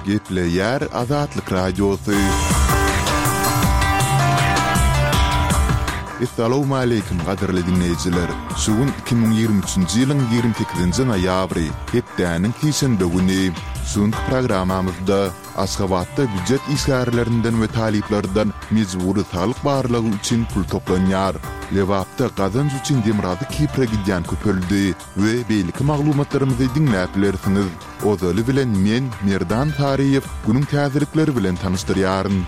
Gepleýär Azatlyk Radiosy. Essalawmaleýkim gadyrly diňleýjiler! Şu gün 2023-nji ýylyň 28-nji noýabry, hepdäniň sişenbe güni. Şu günki programmamyzda Aşgabatda býujet işgärlerinden we talyplardan mejbury saglyk barlagy üçin pul toplanýar. Lebapda gazanç üçin Demirgazyk Kipre gidýän köpeldi we beýleki maglumatlarymyzy diňläp bilersiňiz. Ozaly bilen men, Merdan Saryýew, günüň täzelikleri bilen tanyşdyrýaryn.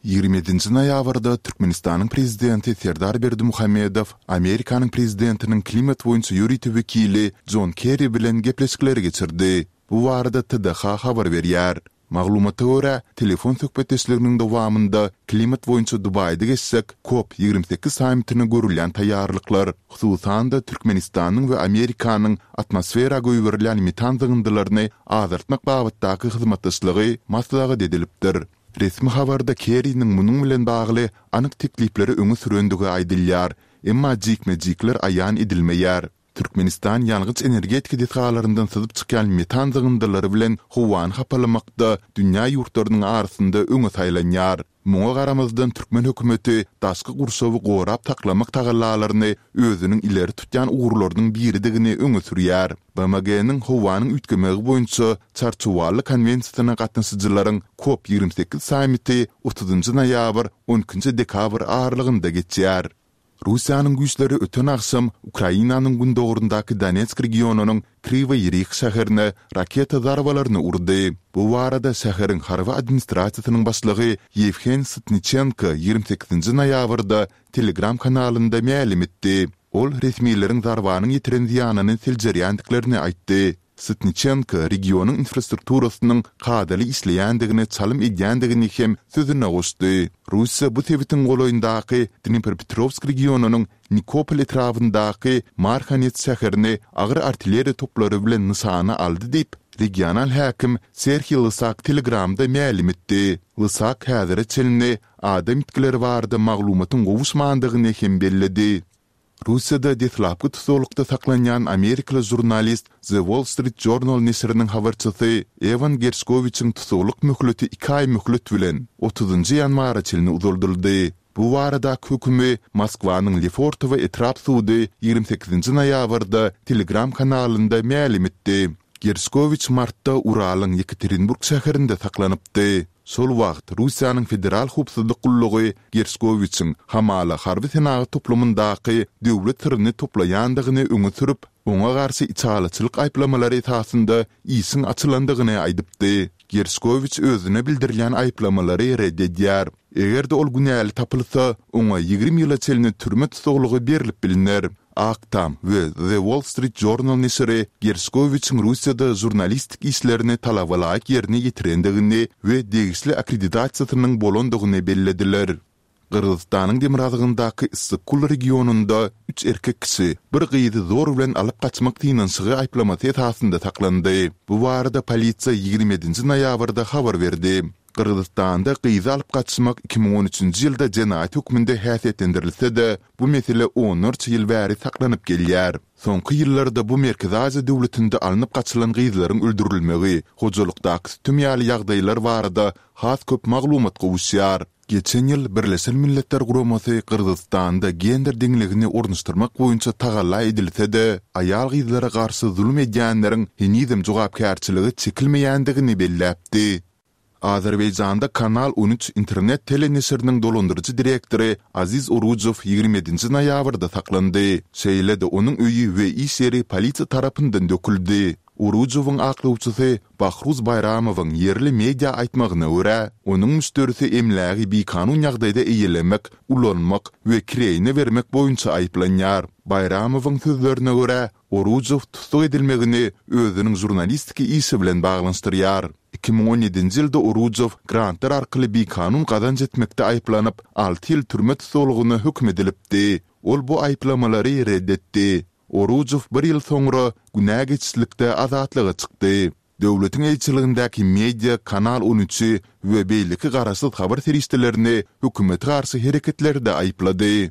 27-nji noýabrda Türkmenistanyň Prezidenti Serdar Berdimuhamedow Amerikanyň Prezidentiniň klimat boýunça ýörite wekili Jon Kerri bilen gepleşikleri geçirdi. Bu barada TDH habar berýär. Maglumata görä, telefon söhbetdeşliginiň dowamynda klimat boýunça Dubaýda geçjek Kop 28 sammitine görülýän taýýarlyklar, hususan-da, Türkmenistanyň we Amerikanyň atmosfera goýberilýän metan zyňyndylaryny azaltmak babatdaky hyzmatdaşlygy maslahat edilipdir. Resmi habarda Kerriniň munuň bilen bagly anyk teklipleri öňe sürendigi aýdylýar, emma jikme-jikler aýan edilmeýär. Türkmenistan ýangyç-energetika desgalaryndan syzyp çykýan metan zyňyndylary bilen howany hapalamakda dünýä ýurtlarynyň arasynda öňe saýlanýar. Muňa garamazdan türkmen hökümeti daşky gurşawy gorap saklamak tagallalaryny özüniň ileri tutýan ugurlarynyň biridigini öňe sürýär. BMG-niň howanyň üýtgemegi boýunça Çarçuwaly konwensiýasyna gatnaşyjylaryň Kop 28 sammiti otuzynjy noýabr, on ikinji dekabr aralygynda geçýär. Russiýanyň güýçleri öten agşam Ukrainanyň gündogaryndaky Donetsk regionynyň Kriwoý Rih şäherine raketa zarbalaryny urdy. Bu barada şäheriň harby administrasiýasynyň başlygy Ýewhen Sytniçenko 28-nji noýabrda Telegram kanalynda mälim etdi. Ol resmileriň zarbanyň ýetiren zyýanyny seljerýändiklerini aýtdy. Sytniçenko regionyň infrastrukturasynyň kadaly işleýändigine çalym edýändigini hem sözüne goşdy. Russiýa bu sebitiň golaýyndaky Dnipropetrowsk regionynyň Nikopol etrabyndaky Marhanets şäherini agyr artilleriýa toplary bilen nyşana aldy diýip, regional häkim Serhiý Lysak Telegramda mälim etdi. Lysak häzire çenli adam ýitgileri barada maglumatyň gowuşmandygyny hem belledi. Russiýada deslapky tussaglykda saklanýan amerikaly žurnalist, The Wall Street Journal neşiriniň habarçysy Ewan Gerşkowiçiň tussaglyk möhleti iki aý möhlet bilen, otuzynjy ýanwara çenli uzaldyldy. Bu baradaky hökümi Moskwanyň Lefortowo etrap sudy 28-nji noýabrda Telegram kanalynda mälim etdi. Gerşkowiç martda Uralyň Ýekaterinburg şäherinde saklanypdy. Şol wagt Russiýanyň Federal howpsuzlyk gullugy Gerşkowiçiň hamala harby-senagat toplumyndaky döwlet syryny toplaýandygyny öňe sürüp, oňa garşy içalyçylyk aýyplamalary esasynda işiň açylandygyny aýdypdy. Gerşkowiç özüne bildirilýän aýyplamalary ret edýär. Eger-de ol günäli tapylsa, oňa 20 ýyla çenli türme tussaglygy berlip bilner. Ak Tam we The Wall Street Journal neşiri Gerşkowiçiň Russiýada žurnalistik işlerini talabalaýyk ýerine ýetirendigini we degişli akkreditasiýasynyň bolandygyny bellediler. Gyrgyzystanyň demirgazygyndaky Issyk-Kul regionynda üç erkek kişi bir gyzy zor bilen alyp gaçmak synanyşygy aýyplamasy esasynda saklandy. Bu barada polisiýa 27-nji noýabrda habar berdi. Gyrgyzystanda gyzy alyp gaçmak 2013-nji ýylda jenaýat hökmünde häsiýetlendirilse-de, bu mesele onlarça ýyl bäri saklanyp gelýär. Soňky ýyllarda bu Merkezi Aziýa döwletinde alnyp gaçylan gyzlaryň öldürilmegi, hojalykdaky sütem ýaly ýagdaýlar barada has köp maglumat gowuşýar. Geçen ýyl Birleşen Milletler Guramasy Gyrgyzystanda gender deňligini ornaşdyrmak boýunça tagalla edilse-de, aýal-gyzlara garşy zulum edýänleriň henizem jogapkärçilige çekilmeýändigini belläpdi. Azerbaýjanda Kanal on üç internet teleneşiriniň dolandyryjy direktory Aziz Orujow 27-nji noýabrda saklandy. Şeýle-de onuň öýi we iş ýeri polisiýa tarapyndan döküldi. Orujowyň aklawçysy Bahruz Baýramowyň ýerli media aýtmagyna görä, onuň müşderisi emlägi bikanun ýagdaýda eýelemek, ulanmak we kireýine bermek boýunça aýyplanýar. Baýramowyň sözlerine görä, Orujow tussag edilmegini özüniň žurnalistiki işi bilen baglanyşdyrýar. 2017-nji ýylda Orujow grantlar arkaly bikanun gazanç etmekde aýyplanyp, alty ýyl türme tussaglygyna höküm edilipdi. Ol bu aýyplamalary red etdi. Orujow bir ýyl soňra günä geçişlikde azatlyga çykdy. Döwletiň eýeçiligindäki media Kanal on üçi we beýleki garaşsyz habar serişdelerini hökümete garşy hereketlerde aýyplady.